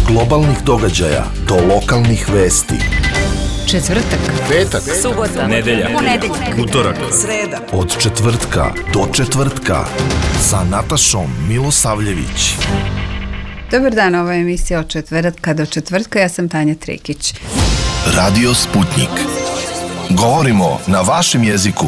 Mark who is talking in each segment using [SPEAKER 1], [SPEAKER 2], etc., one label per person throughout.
[SPEAKER 1] globalnih događaja do lokalnih vesti.
[SPEAKER 2] Četvrtak,
[SPEAKER 3] petak,
[SPEAKER 2] subota,
[SPEAKER 3] nedelja, utorak,
[SPEAKER 2] sreda.
[SPEAKER 1] Od četvrtka do četvrtka sa Natašom Milosavljević.
[SPEAKER 4] Dobar dan, ovo je emisija od četvrtka do četvrtka, ja sam Tanja Trikić.
[SPEAKER 1] Radio Sputnik. Govorimo na vašem jeziku.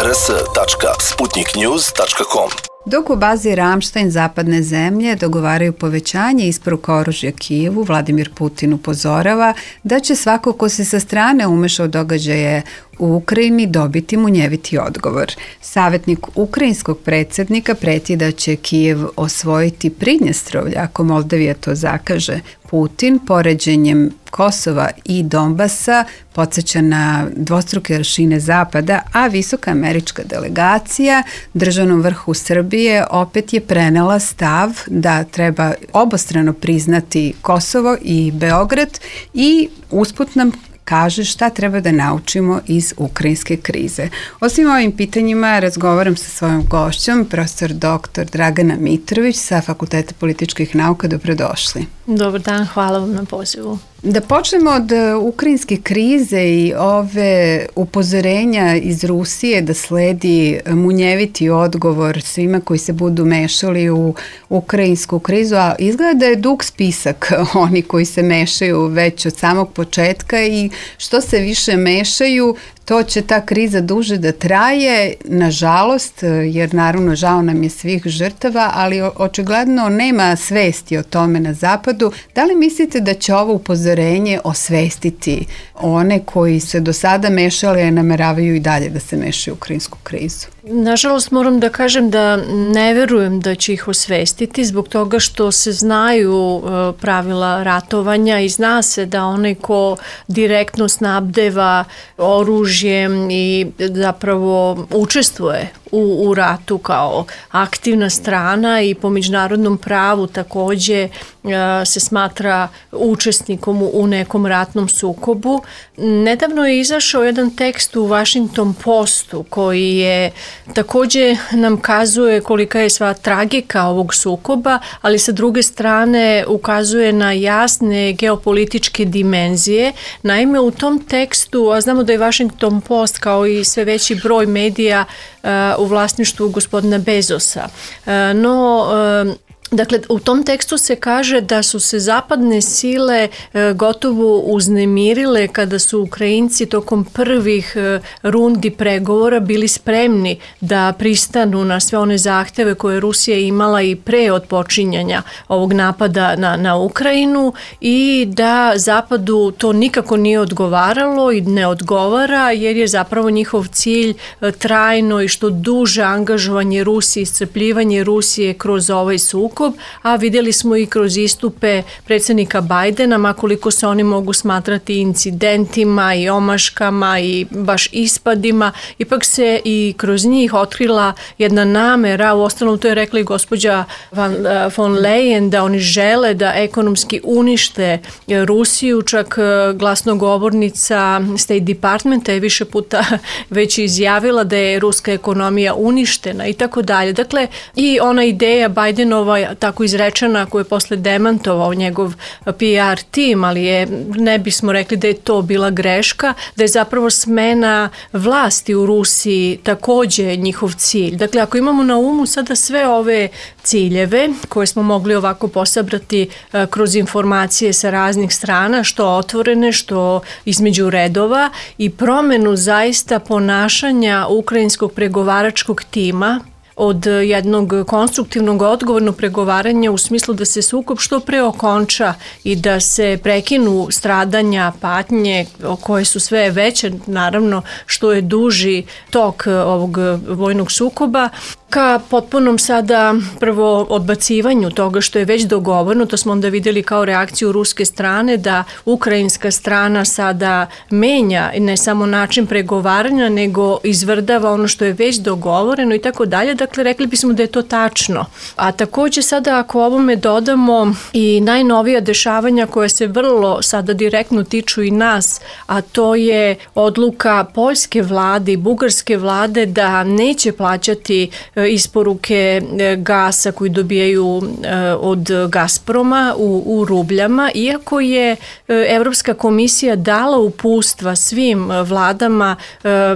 [SPEAKER 1] rs.sputniknews.com.
[SPEAKER 4] Dok u bazi Ramštajn zapadne zemlje dogovaraju povećanje isporuka oružja Kijevu, Vladimir Putin upozorava da će svako ko se sa strane umeša u događaje u Ukrajini dobiti munjeviti odgovor. Savjetnik ukrajinskog predsjednika preti da će Kijev osvojiti Pridnjestrovlje ako Moldavija to zakaže. Putin poređenjem Kosova i Donbasa podsjeća na dvostruke aršine Zapada, a visoka američka delegacija državnom vrhu Srbije opet je prenela stav da treba obostrano priznati Kosovo i Beograd i usput nam kaže šta treba da naučimo iz ukrajinske krize. O svim ovim pitanjima razgovaram sa svojom gošćom, profesor dr. Dragana Mitrović sa Fakulteta političkih nauka. Dobrodošli.
[SPEAKER 5] Dobar dan, hvala vam na pozivu.
[SPEAKER 4] Da počnemo od ukrajinske krize i ove upozorenja iz Rusije da sledi munjeviti odgovor svima koji se budu mešali u ukrajinsku krizu, a izgleda da je dug spisak oni koji se mešaju već od samog početka i što se više mešaju, to će ta kriza duže da traje, nažalost, jer naravno žao nam je svih žrtava, ali očigledno nema svesti o tome na zapadu. Da li mislite da će ovo upozorenje osvestiti one koji se do sada mešali, a nameravaju i dalje da se mešaju u ukrajinsku krizu?
[SPEAKER 5] Nažalost, moram da kažem da ne verujem da će ih osvestiti zbog toga što se znaju pravila ratovanja i zna se da onaj ko direktno snabdeva oružjem i zapravo učestvuje u ratu kao aktivna strana i po međunarodnom pravu takođe se smatra učesnikom u nekom ratnom sukobu. Nedavno je izašao jedan tekst u Washington Postu koji je takođe nam kazuje kolika je sva tragika ovog sukoba, ali sa druge strane ukazuje na jasne geopolitičke dimenzije. Naime, u tom tekstu, a znamo da je Washington Post kao i sve veći broj medija u vlasništvu gospodina Bezosa. Dakle, u tom tekstu se kaže da su se zapadne sile gotovo uznemirile kada su Ukrajinci tokom prvih rundi pregovora bili spremni da pristanu na sve one zahteve koje Rusija imala i pre otpočinjanja ovog napada na Ukrajinu i da Zapadu to nikako nije odgovaralo i ne odgovara jer je zapravo njihov cilj trajno i što duže angažovanje Rusije, iscrpljivanje Rusije kroz ovaj sukob, a vidjeli smo i kroz istupe predsjednika Bajdena, makoliko se oni mogu smatrati incidentima i omaškama i baš ispadima, ipak se i kroz njih otkrila jedna namera, uostalom to je rekla i gospođa von Leyen, da oni žele da ekonomski unište Rusiju, čak glasnogovornica State Departmenta je više puta već izjavila da je ruska ekonomija uništena i tako dalje. Dakle, i ona ideja Bajdenova tako izrečena koju je posle demantovao njegov PR tim, ali ne bismo rekli da je to bila greška, da je zapravo smena vlasti u Rusiji takođe njihov cilj. Dakle, ako imamo na umu sada sve ove ciljeve koje smo mogli ovako posabrati kroz informacije sa raznih strana, što otvorene, što između redova i promenu zaista ponašanja ukrajinskog pregovaračkog tima od jednog konstruktivnog odgovornog pregovaranja u smislu da se sukob što pre okonča i da se prekinu stradanja, patnje koje su sve veće, naravno što je duži tok ovog vojnog sukoba, ka potpunom sada prvo odbacivanju toga što je već dogovoreno. To smo onda vidjeli kao reakciju ruske strane da ukrajinska strana sada menja ne samo način pregovaranja nego izvrdava ono što je već dogovoreno i tako dalje. Dakle, rekli bismo da je to tačno. A takođe sada ako ovome dodamo i najnovija dešavanja koja se vrlo sada direktno tiču i nas, a to je odluka poljske vlade i bugarske vlade da neće plaćati isporuke gasa koji dobijaju od Gazproma u rubljama, iako je Evropska komisija dala uputstva svim vladama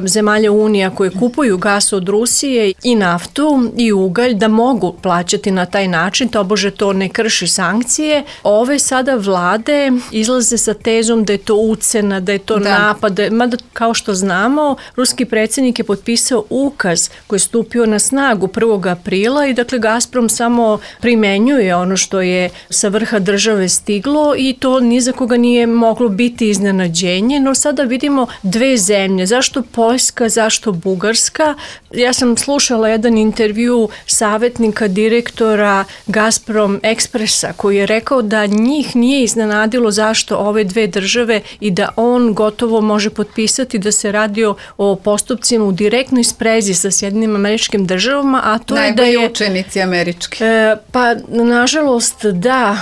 [SPEAKER 5] zemalja Unija koje kupuju gas od Rusije i naftu i ugalj da mogu plaćati na taj način, tobože to ne krši sankcije. Ove sada vlade izlaze sa tezom da je to ucena, da je to napad, mada kao što znamo, ruski predsjednik je potpisao ukaz koji je stupio na snagu 1. aprila i dakle Gazprom samo primenjuje ono što je sa vrha države stiglo i to ni za koga nije moglo biti iznenađenje, no sada vidimo dve zemlje. Zašto Poljska, zašto Bugarska? Ja sam slušala jedan intervju savjetnika direktora Gazprom Ekspresa koji je rekao da njih nije iznenadilo zašto ove dve države i da on gotovo može potpisati da se radi o postupcima u direktnoj sprezi sa Sjedinjenim Američkim Državama, a to je da je...
[SPEAKER 4] Najbolji učenici američki.
[SPEAKER 5] Pa, nažalost, da,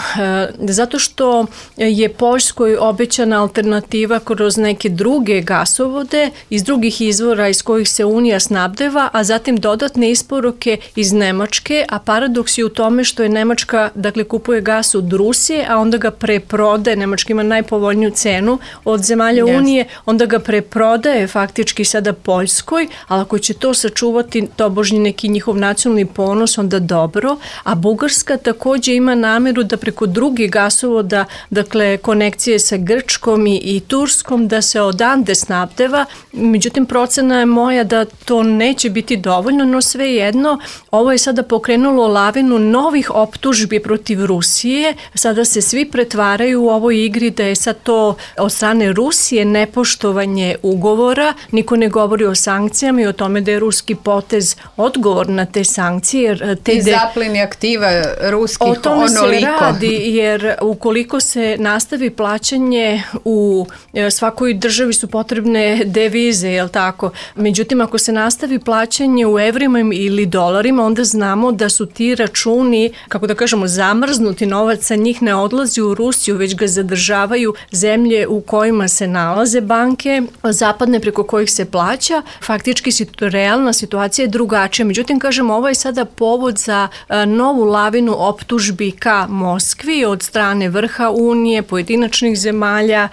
[SPEAKER 5] zato što je Poljskoj obećana alternativa kroz neke druge gasovode iz drugih izvora iz kojih se Unija snabdeva, a zatim dodatne isporuke iz Nemačke, a paradoks je u tome što je Nemačka, dakle, kupuje gas od Rusije, a onda ga preprodaje, Nemačka ima najpovoljniju cenu od zemalja Unije, onda ga preprodaje faktički sada Poljskoj, ali ako će to sačuvati tobožnji neki njihov nacionalni ponos, onda dobro, a Bugarska također ima nameru da preko drugih gasovoda, dakle konekcije sa Grčkom i Turskom, da se odande snabdeva, međutim procena je moja da to neće biti dovoljno, no svejedno ovo je sada pokrenulo lavinu novih optužbi protiv Rusije, sada se svi pretvaraju u ovoj igri da je sad to od strane Rusije nepoštovanje ugovora, niko ne govori o sankcijama i o tome da je ruski potez odgovor na te sankcije.
[SPEAKER 4] I zapleni aktiva ruskih onoliko. O tome se
[SPEAKER 5] radi, jer ukoliko se nastavi plaćanje u svakoj državi su potrebne devize, jel tako? Međutim, ako se nastavi plaćanje u evrima ili dolarima, onda znamo da su ti računi, kako da kažemo, zamrznuti, novac sa njih ne odlazi u Rusiju, već ga zadržavaju zemlje u kojima se nalaze banke, zapadne preko kojih se plaća. Faktički realna situacija je drugačija. Međutim, kažem, ovo je sada povod za novu lavinu optužbi ka Moskvi od strane vrha Unije, pojedinačnih zemalja,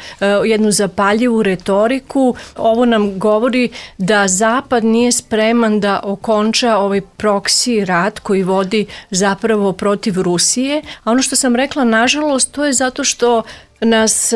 [SPEAKER 5] jednu zapaljivu retoriku. Ovo nam govori da Zapad nije spreman da okonča ovaj proksi rat koji vodi zapravo protiv Rusije. A ono što sam rekla, nažalost, to je zato što nas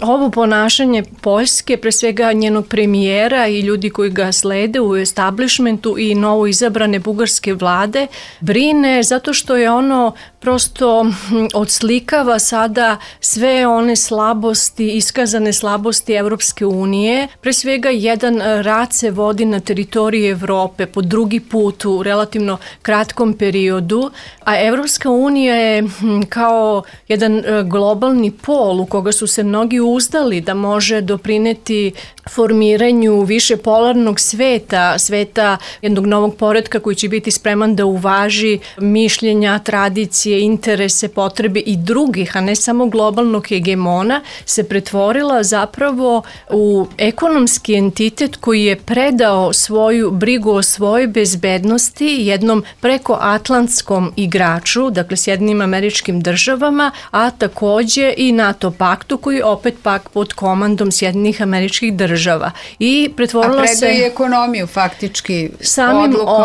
[SPEAKER 5] ovo ponašanje Poljske, pre svega njenog premijera i ljudi koji ga slede u establishmentu i novo izabrane bugarske vlade, brine zato što je ono prosto odslikava sada sve one slabosti, iskazane slabosti Evropske unije. Pre svega jedan rat se vodi na teritoriji Evrope po drugi put u relativno kratkom periodu, a Evropska unija je kao jedan globalni pol u koga su se mnogi uzdali da može doprineti formiranju više polarnog sveta, sveta jednog novog poretka koji će biti spreman da uvaži mišljenja, tradicije, interese, potrebe i drugih, a ne samo globalnog hegemona, se pretvorila zapravo u ekonomski entitet koji je predao svoju brigu o svojoj bezbednosti jednom prekoatlantskom igraču, dakle Sjedinjenim Američkim Državama, a također i NATO paktu koji opet pak pod komandom Sjedinjenih Američkih Država. I pretvorila
[SPEAKER 4] a predao je ekonomiju faktički
[SPEAKER 5] samim
[SPEAKER 4] odlukom.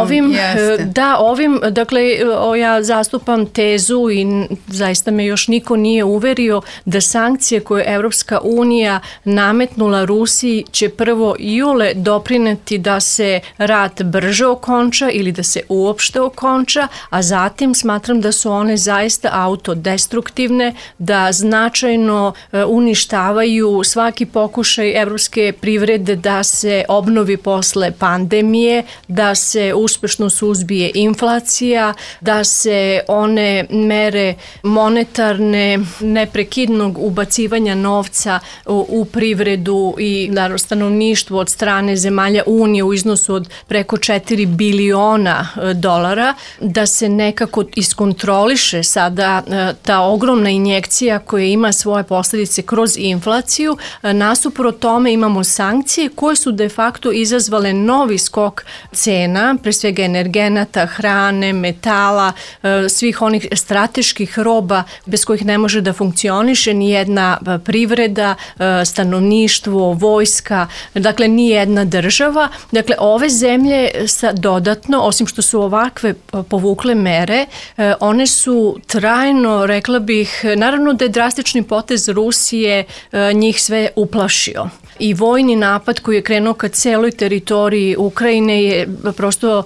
[SPEAKER 5] Ovim, dakle ja zastupam tezu i zaista me još niko nije uverio da sankcije koje Evropska unija nametnula Rusiji će prvo iole doprineti da se rat brže okonča ili da se uopšte okonča, a zatim smatram da su one zaista autodestruktivne, da značajno uništavaju svaki pokušaj evropske privrede da se obnovi posle pandemije, da se uspešno suzbije inflacija, da se one ove mere monetarne, neprekidnog ubacivanja novca u privredu i stanovništvo od strane zemalja Unije u iznosu od preko 4 biliona dolara, da se nekako iskontroliše sada ta ogromna injekcija koja ima svoje posljedice kroz inflaciju. Nasuprot tome imamo sankcije koje su de facto izazvale novi skok cena, pre svega energenata, hrane, metala, svih onih strateških roba bez kojih ne može da funkcioniše ni jedna privreda, stanovništvo, vojska, dakle ni jedna država. Dakle, ove zemlje dodatno, osim što su ovakve povukle mere, one su trajno, rekla bih, naravno da je drastični potez Rusije njih sve uplašio. I vojni napad koji je krenuo ka celoj teritoriji Ukrajine je prosto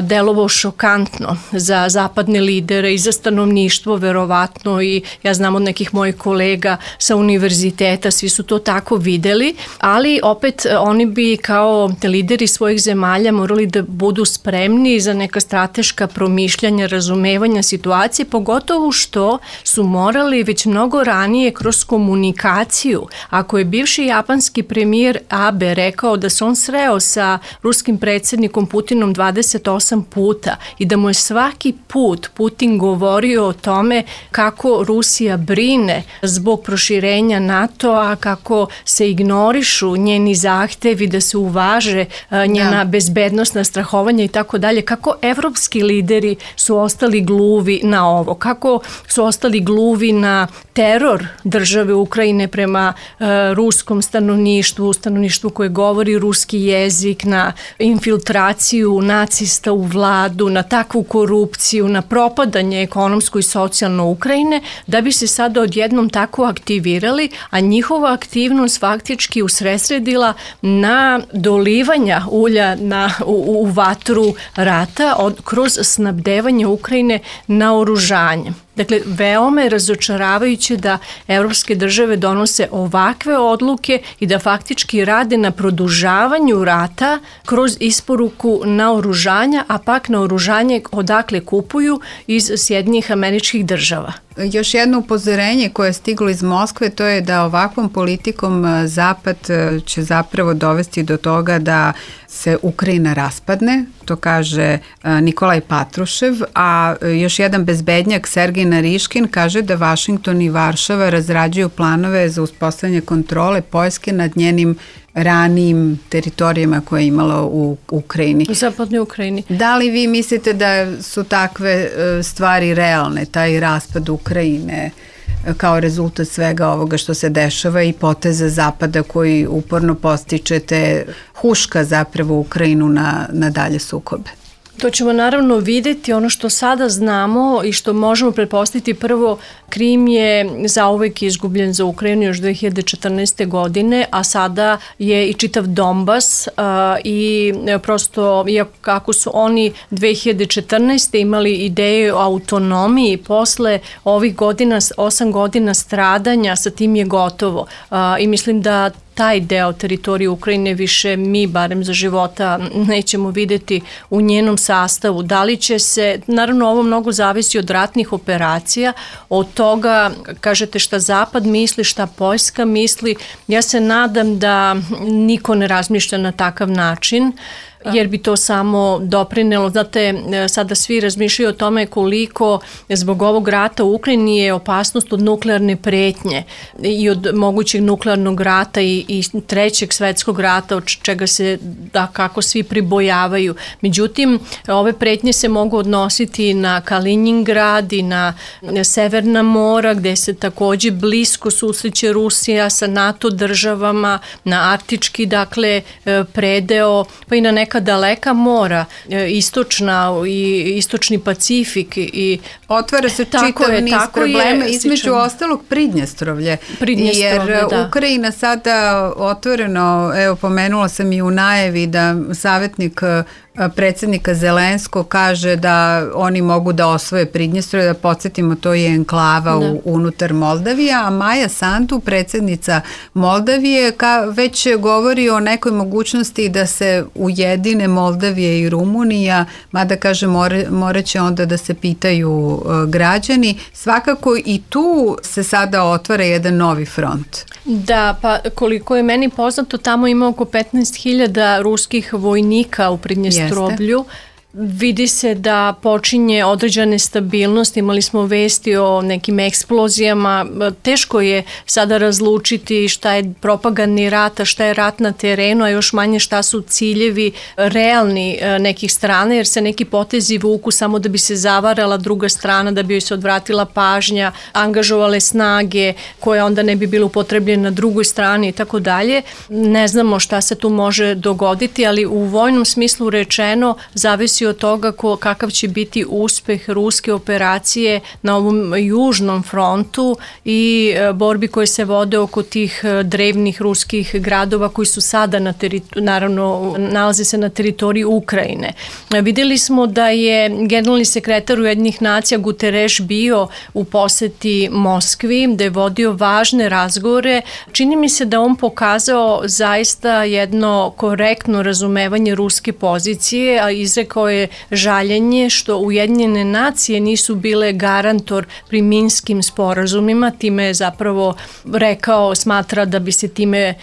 [SPEAKER 5] delovao šokantno za zapadne lidere i za stanovništvo verovatno, i ja znam od nekih mojih kolega sa univerziteta, svi su to tako videli, ali opet oni bi kao lideri svojih zemalja morali da budu spremni za neka strateška promišljanja, razumevanja situacije, pogotovo što su morali već mnogo ranije kroz komunikaciju. Ako je bivši japanski premijer Abe rekao da se on sreo sa ruskim predsjednikom Putinom 28 puta i da mu je svaki put Putin govorio o tome kako Rusija brine zbog proširenja NATO-a, kako se ignorišu njeni zahtevi da se uvaže njena bezbednosna strahovanja i tako dalje, kako evropski lideri su ostali gluvi na ovo, kako su ostali gluvi na teror države Ukrajine prema ruskom stanovništvu koje govori ruski jezik, na infiltraciju nacista u vladu, na takvu korupciju, na propadanje ekonomsko i socijalno Ukrajine, da bi se sada odjednom tako aktivirali, a njihova aktivnost faktički usredsredila na dolivanja ulja u vatru rata kroz snabdevanje Ukrajine naoružanjem. Dakle, veoma je razočaravajuće da evropske države donose ovakve odluke i da faktički rade na produžavanju rata kroz isporuku naoružanja, a pak naoružanje odakle kupuju iz Sjedinjenih Američkih Država.
[SPEAKER 4] Još jedno upozorenje koje je stiglo iz Moskve, to je da ovakvom politikom Zapad će zapravo dovesti do toga da se Ukrajina raspadne, to kaže Nikolaj Patrušev, a još jedan bezbednjak Sergej Nariškin kaže da Vašington i Varšava razrađuju planove za uspostavljanje kontrole Poljske nad njenim ranijim teritorijama koje je imala u Ukrajini.
[SPEAKER 5] U zapadnoj Ukrajini.
[SPEAKER 4] Da li vi mislite da su takve stvari realne, taj raspad Ukrajine kao rezultat svega ovoga što se dešava i poteza Zapada koji uporno postičete, huška zapravo Ukrajinu na dalje sukobe?
[SPEAKER 5] To ćemo naravno vidjeti. Ono što sada znamo i što možemo pretpostaviti, prvo, Krim je zauvek izgubljen za Ukrajinu još 2014. godine, a sada je i čitav Donbas i prosto, iako kako su oni 2014. imali ideju o autonomiji, posle ovih godina, 8 godina stradanja, sa tim je gotovo. I mislim da taj deo teritorije Ukrajine više mi, barem za života, nećemo vidjeti u njenom sastavu. Da li će se, naravno ovo mnogo zavisi od ratnih operacija, od toga, kažete šta Zapad misli, šta Poljska misli. Ja se nadam da niko ne razmišlja na takav način, jer bi to samo doprinelo. Znate, sada svi razmišljaju o tome koliko zbog ovog rata u Ukrajini je opasnost od nuklearne pretnje i od mogućeg nuklearnog rata i trećeg svetskog rata, od čega se kako svi pribojavaju. Međutim, ove pretnje se mogu odnositi na Kaliningrad i na Severna mora, gde se također blisko susreće Rusija sa NATO državama, na arktički, dakle, predeo, pa i na neka daleka mora, istočni Pacifik. I
[SPEAKER 4] otvara se čitav niz problema, između ostalog Pridnjestrovlje. Jer Ukrajina sada otvoreno, evo pomenula sam i u najavi da savjetnik predsjednika Zelenskog kaže da oni mogu da osvoje Pridnjestrovje, da podsjetimo, to je enklava unutar Moldavije, a Maja Sandu, predsjednica Moldavije, već govori o nekoj mogućnosti da se ujedine Moldavije i Rumunija, mada kaže morat će onda da se pitaju građani. Svakako i tu se sada otvara jedan novi front.
[SPEAKER 5] Da, pa koliko je meni poznato, tamo ima oko 15.000 ruskih vojnika u Pridnjestrovlju. Vidi se da počinje određene stabilnosti, imali smo vesti o nekim eksplozijama, teško je sada razlučiti šta je propagandni rat, a šta je rat na terenu, a još manje šta su ciljevi realni nekih strana, jer se neki potezi vuku samo da bi se zavarala druga strana, da bi joj se odvratila pažnja, angažovale snage koje onda ne bi bile upotrebljene na drugoj strani i tako dalje. Ne znamo šta se tu može dogoditi, ali u vojnom smislu rečeno zavisi od toga kakav će biti uspeh ruske operacije na ovom južnom frontu i borbi koje se vode oko tih drevnih ruskih gradova koji su sada naravno nalaze se na teritoriji Ukrajine. Vidjeli smo da je generalni sekretar Ujedinjenih nacija Guterres bio u poseti Moskvi, da je vodio važne razgovore. Čini mi se da on pokazao zaista jedno korektno razumevanje ruske pozicije, a izrekao je žaljenje što Ujedinjene nacije nisu bile garantor pri minskim sporazumima, time je zapravo rekao, smatra da bi se time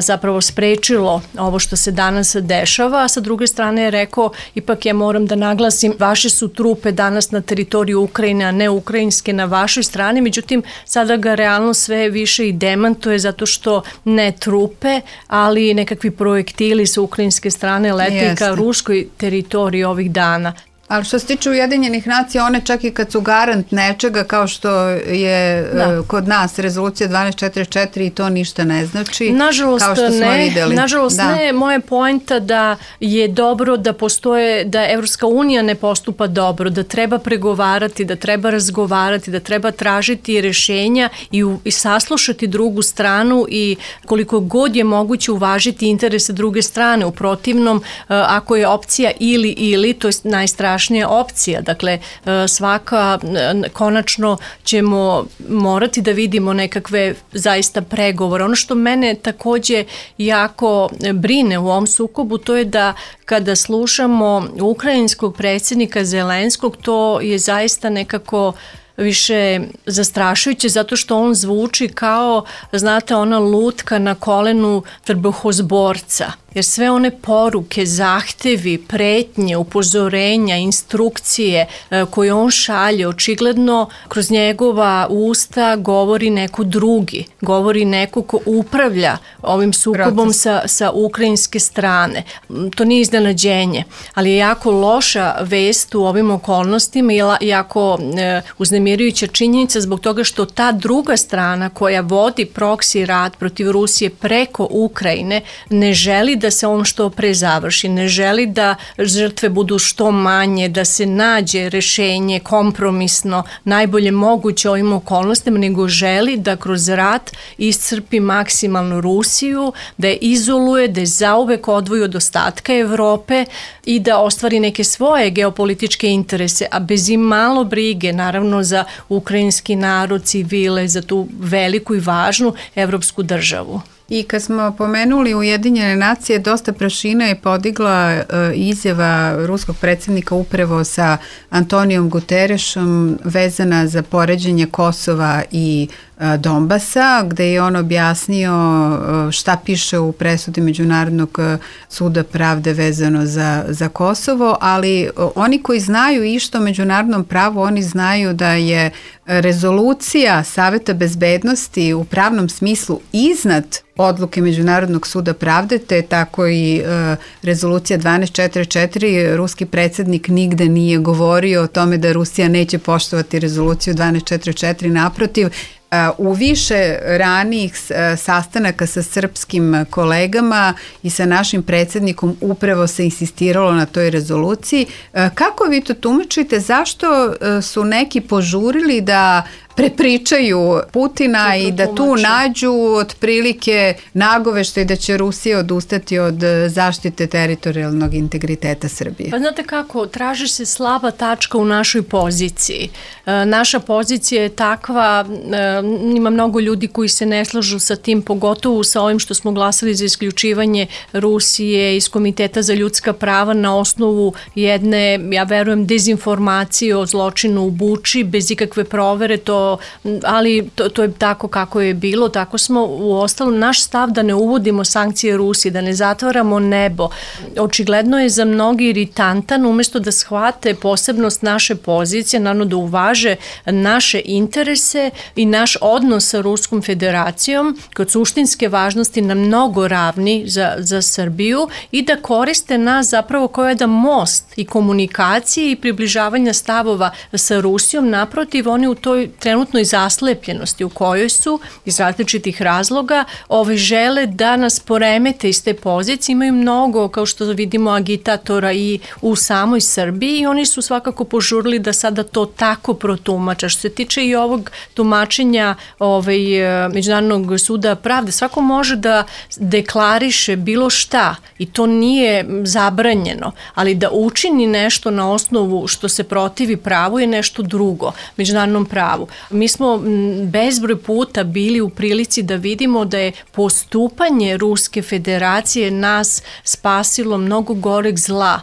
[SPEAKER 5] zapravo sprečilo ovo što se danas dešava, a sa druge strane je rekao, ipak ja moram da naglasim, vaše su trupe danas na teritoriju Ukrajine, a ne ukrajinske na vašoj strani, međutim sada ga realno sve više i demantuje zato što ne trupe, ali nekakvi projektili sa ukrajinske strane lete ka ruskoj teritoriji ovih dana.
[SPEAKER 4] Ali što se tiče Ujedinjenih nacija, one čak i kad su garant nečega, kao što je kod nas rezolucija 1244 i to ništa ne znači.
[SPEAKER 5] Nažalost ne. Moja poenta da je dobro da postoje, da Evropska unija ne postupa dobro, da treba pregovarati, da treba razgovarati, da treba tražiti rješenja i saslušati drugu stranu i koliko god je moguće uvažiti interese druge strane. U protivnom, ako je opcija ili, to je najstrašnija opcija. Dakle, svaka, konačno ćemo morati da vidimo nekakve zaista pregovore. Ono što mene također jako brine u ovom sukobu, to je da kada slušamo ukrajinskog predsjednika Zelenskog, to je zaista nekako više zastrašujuće zato što on zvuči kao, znate, ona lutka na kolenu trbuhozborca. Jer sve one poruke, zahtevi, pretnje, upozorenja, instrukcije koje on šalje, očigledno kroz njegova usta govori neko drugi, govori neko ko upravlja ovim sukobom sa ukrajinske strane. To nije iznenađenje, ali je jako loša vest u ovim okolnostima i jako uznemirujuća činjenica zbog toga što ta druga strana koja vodi proksi rat protiv Rusije preko Ukrajine ne želi da se on što pre završi, ne želi da žrtve budu što manje, da se nađe rešenje kompromisno, najbolje moguće ovim okolnostima, nego želi da kroz rat iscrpi maksimalno Rusiju, da je izoluje, da je zauvek odvoji od ostatka Evrope i da ostvari neke svoje geopolitičke interese, a bez imalo brige, naravno, za ukrajinski narod, civile, za tu veliku i važnu evropsku državu.
[SPEAKER 4] I kad smo pomenuli Ujedinjene nacije, dosta prašina je podigla izjava ruskog predsjednika upravo sa Antonijom Guterresom vezana za poređenje Kosova i Donbasa, gde je on objasnio šta piše u presudi Međunarodnog suda pravde vezano za Kosovo, ali oni koji znaju išta o međunarodnom pravu, oni znaju da je rezolucija Saveta bezbednosti u pravnom smislu iznad odluke Međunarodnog suda pravde, te tako i rezolucija 1244. Ruski predsjednik nigde nije govorio o tome da Rusija neće poštovati rezoluciju 1244, naprotiv. U više ranijih sastanaka sa srpskim kolegama i sa našim predsjednikom upravo se insistiralo na toj rezoluciji. Kako vi to tumačite? Zašto su neki požurili da prepričaju Putina i da tu nađu otprilike nagoveštaj da će Rusija odustati od zaštite teritorijalnog integriteta Srbije.
[SPEAKER 5] Pa znate kako, traži se slaba tačka u našoj poziciji. Naša pozicija je takva, ima mnogo ljudi koji se ne slažu sa tim, pogotovo sa ovim što smo glasali za isključivanje Rusije iz Komiteta za ljudska prava na osnovu jedne, ja verujem, dezinformacije o zločinu u Buči, bez ikakve provere, ali to je tako kako je bilo, tako smo u ostalom, naš stav da ne uvodimo sankcije Rusiji, da ne zatvaramo nebo. Očigledno je za mnogi iritantan, umesto da shvate posebnost naše pozicije, naravno da uvaže naše interese i naš odnos sa Ruskom federacijom kod suštinske važnosti na mnogo ravni za Srbiju i da koriste nas zapravo kao jedan most i komunikacije i približavanja stavova sa Rusijom. Naprotiv, oni u toj trenutnoj zaslepljenosti u kojoj su iz različitih razloga žele da nas poremete iz te pozicije. Imaju mnogo, kao što vidimo, agitatora i u samoj Srbiji i oni su svakako požurili da sada to tako protumača. Što se tiče i ovog tumačenja Međunarodnog suda pravde, svako može da deklariše bilo šta i to nije zabranjeno, ali da učini nešto na osnovu što se protivi pravu je nešto drugo, međunarodnom pravu. Mi smo bezbroj puta bili u prilici da vidimo da je postupanje Ruske federacije nas spasilo mnogo goreg zla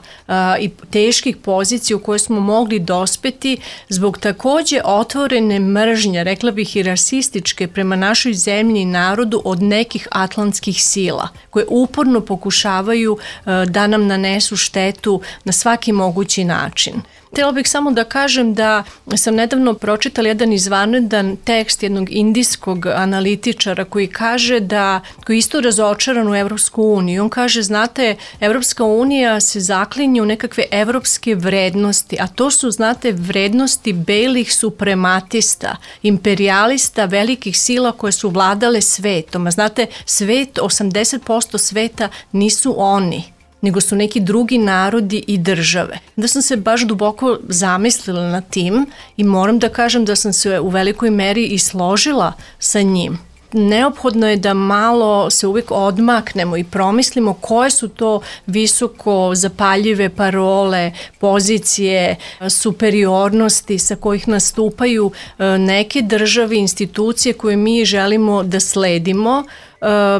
[SPEAKER 5] i teških pozicija u koje smo mogli dospeti zbog takođe otvorene mržnje, rekla bih i rasističke, prema našoj zemlji i narodu od nekih atlantskih sila koje uporno pokušavaju da nam nanesu štetu na svaki mogući način. Htjela bih samo da kažem da sam nedavno pročitala jedan izvanredan tekst jednog indijskog analitičara koji kaže koji je isto razočaran u Evropsku uniju. On kaže, znate, Evropska unija se zaklinje u nekakve evropske vrednosti, a to su, znate, vrednosti belih suprematista, imperialista, velikih sila koje su vladale svetom. A znate, 80% sveta nisu oni, nego su neki drugi narodi i države. Da sam se baš duboko zamislila na tim i moram da kažem da sam se u velikoj meri i složila sa njim. Neophodno je da malo se uvijek odmaknemo i promislimo koje su to visoko zapaljive parole, pozicije, superiornosti sa kojih nastupaju neke države, institucije koje mi želimo da sledimo.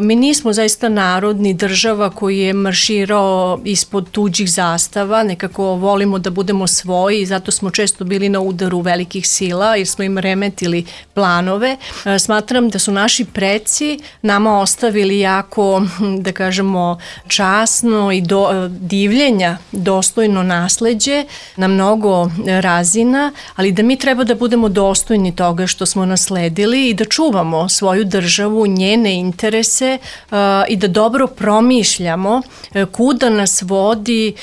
[SPEAKER 5] Mi nismo zaista narod ni država koji je marširao ispod tuđih zastava, nekako volimo da budemo svoji i zato smo često bili na udaru velikih sila jer smo im remetili planove. Smatram da su naši preci nama ostavili jako, da kažemo, časno i divljenja dostojno nasleđe na mnogo razina, ali da mi treba da budemo dostojni toga što smo nasledili i da čuvamo svoju državu, njene interese i da dobro promišljamo kuda nas vodi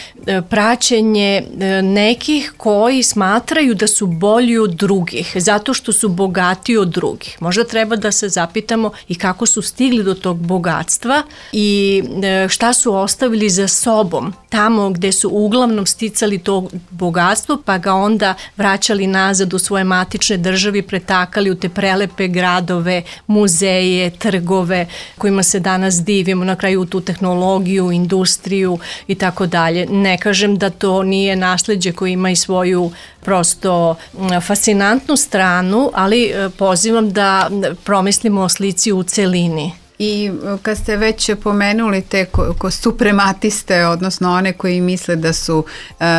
[SPEAKER 5] praćenje nekih koji smatraju da su bolji od drugih, zato što su bogatiji od drugih. Možda treba da se zapitamo i kako su stigli do tog bogatstva i šta su ostavili za sobom, tamo gde su uglavnom sticali to bogatstvo, pa ga onda vraćali nazad u svoje matične države i pretakali u te prelepe gradove, muzeje, trgove, kojima se danas divimo, na kraju u tu tehnologiju, industriju i tako dalje. Ne kažem da to nije nasleđe koje ima i svoju prosto fascinantnu stranu, ali pozivam da promislimo o slici u celini.
[SPEAKER 4] I kad ste već pomenuli te suprematiste, odnosno one koji misle da su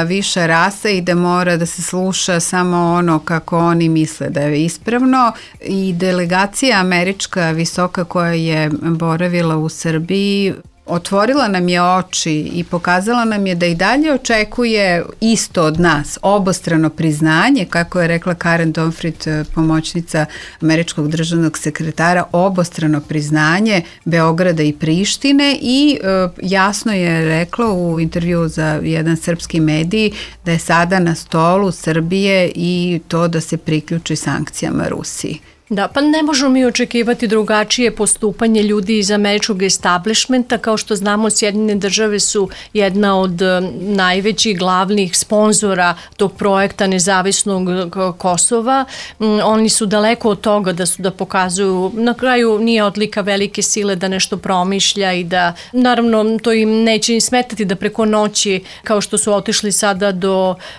[SPEAKER 4] viša rasa i da mora da se sluša samo ono kako oni misle da je ispravno, i delegacija američka visoka koja je boravila u Srbiji otvorila nam je oči i pokazala nam je da i dalje očekuje isto od nas, obostrano priznanje, kako je rekla Karen Donfrid, pomoćnica američkog državnog sekretara, obostrano priznanje Beograda i Prištine i jasno je rekla u intervju za jedan srpski medij da je sada na stolu Srbije i to da se priključi sankcijama Rusiji.
[SPEAKER 5] Da, pa ne možemo mi očekivati drugačije postupanje ljudi iz američkog establishmenta. Kao što znamo, Sjedinjene države su jedna od najvećih glavnih sponzora tog projekta nezavisnog Kosova. Oni su daleko od toga da pokazuju, na kraju nije odlika velike sile da nešto promišlja i da, naravno, to im neće im smetati da preko noći, kao što su otišli sada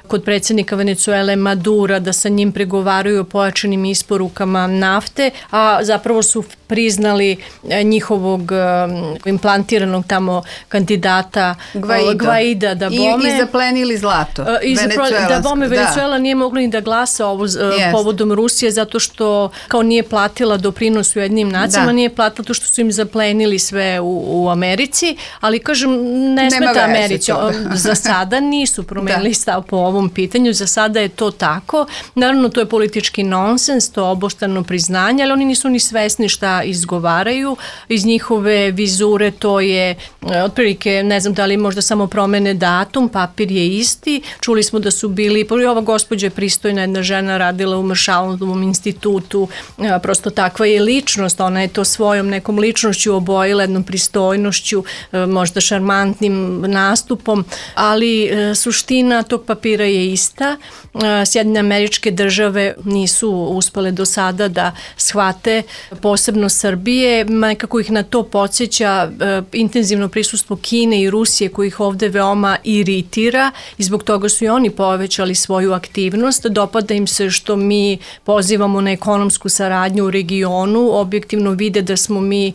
[SPEAKER 5] kod predsjednika Venecuele Madura, da sa njim pregovaraju o pojačanim isporukama nafte, a zapravo su priznali njihovog implantiranog tamo kandidata Gvaida da bome.
[SPEAKER 4] I zaplenili zlato.
[SPEAKER 5] Da bome Venecuela nije mogla ni da glasa povodom Rusije, zato što kao nije platila doprinos u jednim nacijama, nije platila to što su im zaplenili sve u Americi, ali kažem, ne smeta Americi. Za sada nisu promenili stav po ovom pitanju, za sada je to tako. Naravno, to je politički nonsens, to je obostrano priznanje, ali oni nisu ni svesni šta izgovaraju. Iz njihove vizure to je otprilike, ne znam da li možda samo promene datum, papir je isti. Čuli smo da su bili, ova gospođa je pristojna, jedna žena radila u Maršalovom institutu, prosto takva je ličnost, ona je to svojom nekom ličnošću obojila, jednom pristojnošću, možda šarmantnim nastupom, ali suština tog papira je ista. Sjedinjene Američke Države nisu uspele do sada da shvate, posebno Srbije, nekako ih na to podsjeća intenzivno prisustvo Kine i Rusije koji ih ovde veoma iritira i zbog toga su i oni povećali svoju aktivnost. Dopada im se što mi pozivamo na ekonomsku saradnju u regionu, objektivno vide da smo mi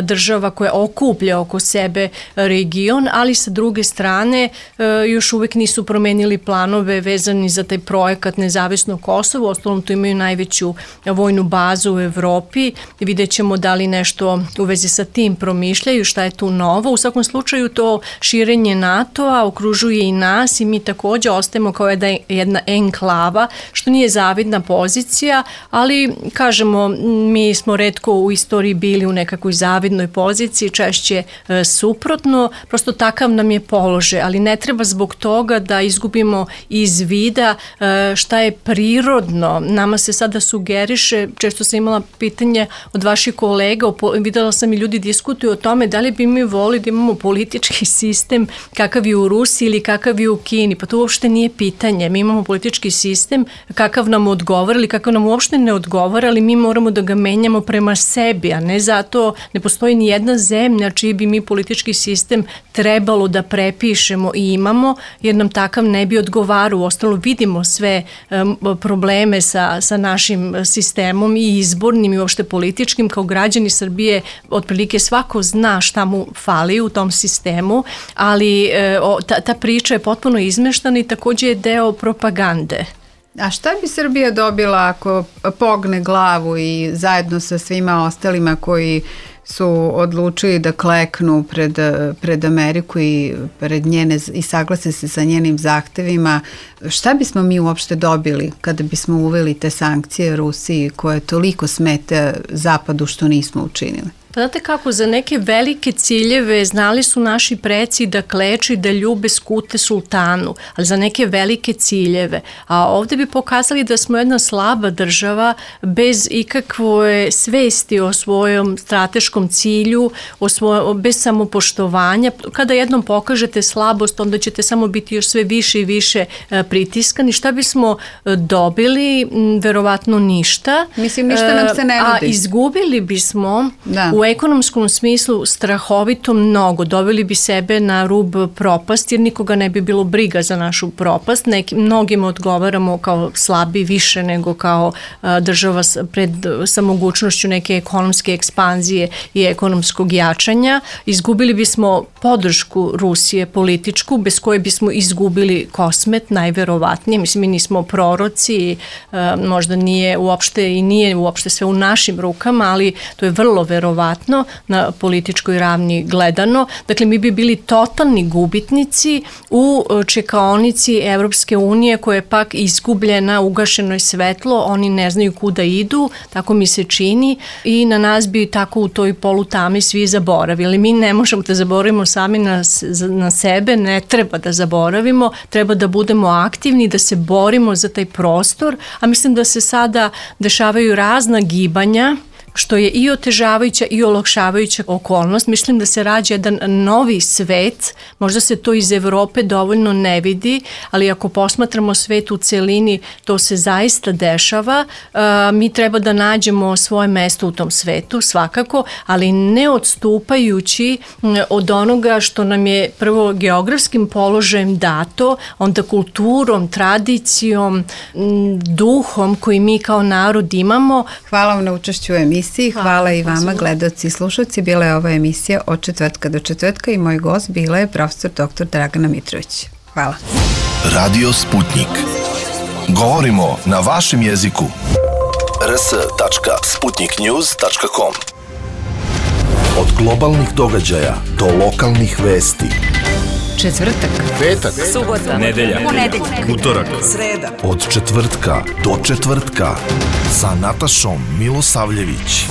[SPEAKER 5] država koja okuplja oko sebe region, ali sa druge strane još uvek nisu promenili planove vezani za taj projekat Nezavisno Kosovo, ostalom tu imaju najveću vojnu bazu u Evropi, vidjet ćemo da li nešto u vezi sa tim promišljaju, šta je tu novo. U svakom slučaju to širenje NATO-a okružuje i nas i mi također ostajemo kao jedna enklava, što nije zavidna pozicija, ali kažemo, mi smo retko u istoriji bili u nekakvoj zavidnoj poziciji, češće suprotno, prosto takav nam je položaj, ali ne treba zbog toga da izgubimo iz vida šta je prirodno. Nama se sada sugeriše, često sam imala pitanje od vaših kolega, videla sam i ljudi diskutuju o tome da li bi mi volili da imamo politički sistem kakav je u Rusiji ili kakav je u Kini. Pa to uopšte nije pitanje. Mi imamo politički sistem kakav nam odgovara ili kakav nam uopšte ne odgovara, ali mi moramo da ga menjamo prema sebi, a ne zato ne postoji ni jedna zemlja čiji bi mi politički sistem trebalo da prepišemo i imamo, jer nam takav ne bi odgovarao. Ostalo vidimo sve probleme sa našim sistemom i izbornim i uopšte političkim. Kao građani Srbije otprilike svako zna šta mu fali u tom sistemu, ali ta priča je potpuno izmeštana i također je deo propagande.
[SPEAKER 4] A šta bi Srbija dobila ako pogne glavu i zajedno sa svima ostalima koji su odlučili da kleknu pred Ameriku i pred njene i saglase se sa njenim zahtevima, šta bismo mi uopšte dobili kada bismo uveli te sankcije Rusiji koje toliko smete Zapadu što nismo učinili?
[SPEAKER 5] Pa znate kako, za neke velike ciljeve znali su naši preci da kleče i da ljube skute sultanu, ali za neke velike ciljeve. A ovdje bi pokazali da smo jedna slaba država bez ikakve svesti o svojom strateškom cilju, bez samopoštovanja. Kada jednom pokažete slabost, onda ćete samo biti još sve više i više pritiskani. Šta bismo dobili? Verovatno ništa.
[SPEAKER 4] Mislim, ništa nam se ne nudi.
[SPEAKER 5] A izgubili bismo u ekonomskom smislu strahovito mnogo. Doveli bi sebe na rub propasti, jer nikoga ne bi bilo briga za našu propast. Mnogima odgovaramo kao slabi više nego kao država sa mogućnošću neke ekonomske ekspanzije i ekonomskog jačanja. Izgubili bismo podršku Rusije političku, bez koje bismo izgubili kosmet, najverovatnije. Mislim, mi nismo proroci, možda nije uopšte sve u našim rukama, ali to je vrlo verovatno. neverovatno na političkoj ravni gledano. Dakle, mi bi bili totalni gubitnici u čekaonici Evropske unije koja je pak izgubljena, ugašeno je svetlo, oni ne znaju kuda idu, tako mi se čini i na nas bi tako u toj polutami svi zaboravili. Mi ne možemo da zaboravimo sami na sebe, ne treba da zaboravimo, treba da budemo aktivni, da se borimo za taj prostor, a mislim da se sada dešavaju razna gibanja, što je i otežavajuća i olakšavajuća okolnost. Mislim da se rađa jedan novi svet, možda se to iz Evrope dovoljno ne vidi, ali ako posmatramo svet u celini, to se zaista dešava. Mi treba da nađemo svoje mesto u tom svetu, svakako, ali ne odstupajući od onoga što nam je prvo geografskim položajem dato, onda kulturom, tradicijom, duhom koji mi kao narod imamo.
[SPEAKER 4] Hvala vam na učešću u emisiji. Hvala i vama, gledaoci i slušalci. Bila je ova emisija od četvrtka do četvrtka i moj gost bila je profesor dr. Dragana Mitrović. Hvala.
[SPEAKER 1] Radio Sputnik. Govorimo na vašem jeziku. rs.sputniknews.com. Od globalnih događaja do lokalnih vesti.
[SPEAKER 2] Četvrtak,
[SPEAKER 1] Petak,
[SPEAKER 3] Subota,
[SPEAKER 1] nedelja,
[SPEAKER 3] ponedeljak,
[SPEAKER 1] utorak,
[SPEAKER 3] sreda.
[SPEAKER 1] od četvrtka do četvrtka sa Natašom Milosavljević.